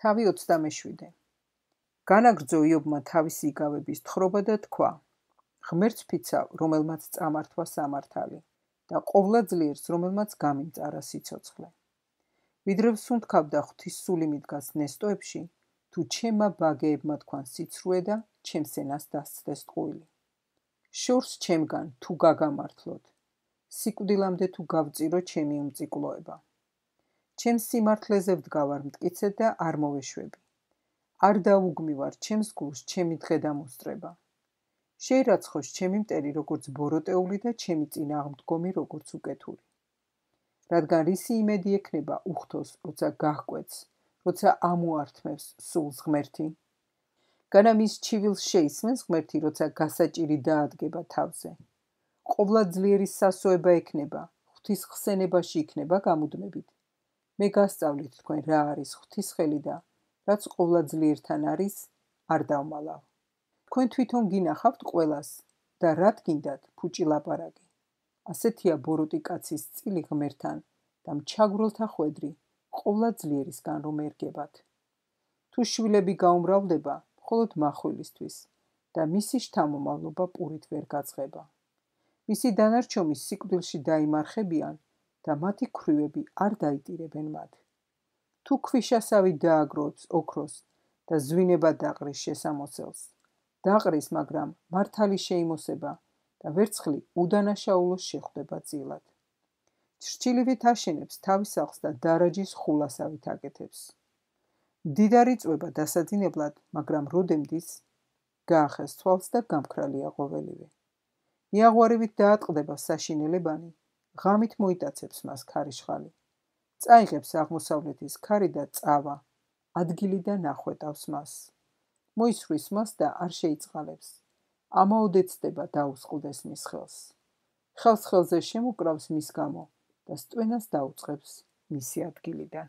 თავი 27. განაგრძო იობმა თავისი იგავების თხრობა და თქვა: ღმერთს ფიცავ, რომელმაც წამართვა სამართალი და ყოვლა ძლიერს, რომელმაც გამიმწარა სიცოცხლე. ვიდრე ვსუნთქავდა ღვთის სული მიდგას ნესტოებში, თუ ჩემმა ბაგეებმა თქვან სიცრუე და ჩემს ენას დასცდეს ტყუილი. შორს ჩემგან თუ გაგამართლოთ, სიკვდილამდე თუ გავწირო ჩემი უმწიკლოება. ჩემს სიმართლეზე ვდგავარ მტკიცედ და არ მოვეშვები. არ დაუგმივარ ჩემს გულს ჩემი დღე და მოსწრება. შეირაცხოს ჩემი მტერი როგორც ბოროტეული და ჩემი წინააღმდგომი როგორც უკეთური. რადგან რისი იმედი ექნება უხთოს, როცა გაჰკვეთს, როცა ამოართმევს სულს ღმერთი? განა მის ჩივილს შეისმენს ღმერთი, როცა გასაჭირი დაადგება თავზე. ყოვლა ძლიერის სასოება ექნება, ღვთის ხსენებაში იქნება გამუდმებით. მე გასწავლით თქვენ რა არის ღვთის ხელი და რაც ყოვლა ძლიერთან არის, არ დავმალავ. თქვენ თვითონ გინახავთ ყველას და რად გინდათ ფუჭი ლაპარაკი. ასეთია ბოროტი კაცის წილი ღმერთთან და მჩაგვრელთა ხვედრი ყოვლა ძლიერისგან რომ ერგებათ. თუ შვილები გაუმრავლდება, მხოლოდ მახვილისთვის და მისი შთამომავლობა პურით ვერ გაწყება. მისი დანარჩომი სიკვდილში დაიმარხებიან და მათი ქვრივები არ დაიტირებენ მათ. თუ ქვიშასავი დააგროვებს ოქროს და ზვინება დაყრის შესამოსელს, დაყრის, მაგრამ მართალი შეიმოსება და ვერცხლი უდანაშაულოს შეხვდება წილად. ჩრჩილივით აშენებს თავის სახლს და დარაჯის ხულასავით აკეთებს. მდიდარი წვება დასაძინებლად, მაგრამ როდემდის გაახეს თვალს და გამქრალია ყოველივე. მიაღვარებით დაატყდება საშინელებანი, ღამით მოიტაცებს მას ქარიშხალი. წაიღებს აღმოსავლეთის ქარი და წავა, ადგილიდან ახვეტავს მას. მოისვრის მას და არ შეიწყალებს. ამაოდ ეცდება დაუსყლდეს მის ხელს. ხელს ხელზე შემოკრავს მის გამო და სტვენას დაუწყებს მისი ადგილიდან.